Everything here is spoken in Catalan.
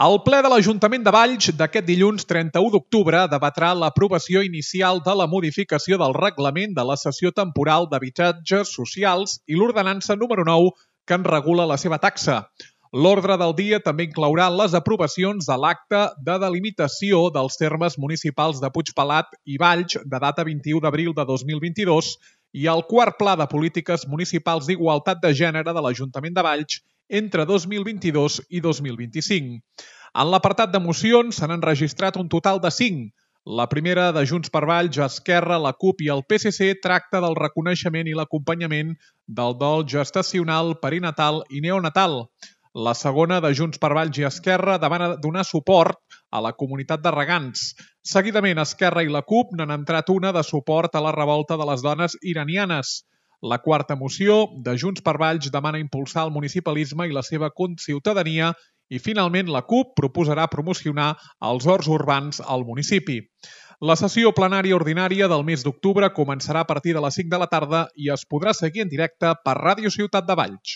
El ple de l'Ajuntament de Valls d'aquest dilluns 31 d'octubre debatrà l'aprovació inicial de la modificació del reglament de la cessió temporal d'habitatges socials i l'ordenança número 9 que en regula la seva taxa. L'ordre del dia també inclourà les aprovacions de l'acte de delimitació dels termes municipals de Puigpelat i Valls de data 21 d'abril de 2022 i el quart pla de polítiques municipals d'igualtat de gènere de l'Ajuntament de Valls entre 2022 i 2025. En l'apartat de mocions s'han enregistrat un total de 5. La primera, de Junts per Valls, Esquerra, la CUP i el PSC, tracta del reconeixement i l'acompanyament del dol gestacional, perinatal i neonatal. La segona, de Junts per Valls i Esquerra, demana donar suport a la comunitat de regants. Seguidament, Esquerra i la CUP n'han entrat una de suport a la revolta de les dones iranianes. La quarta moció, de Junts per Valls, demana impulsar el municipalisme i la seva conciutadania i, finalment, la CUP proposarà promocionar els horts urbans al municipi. La sessió plenària ordinària del mes d'octubre començarà a partir de les 5 de la tarda i es podrà seguir en directe per Ràdio Ciutat de Valls.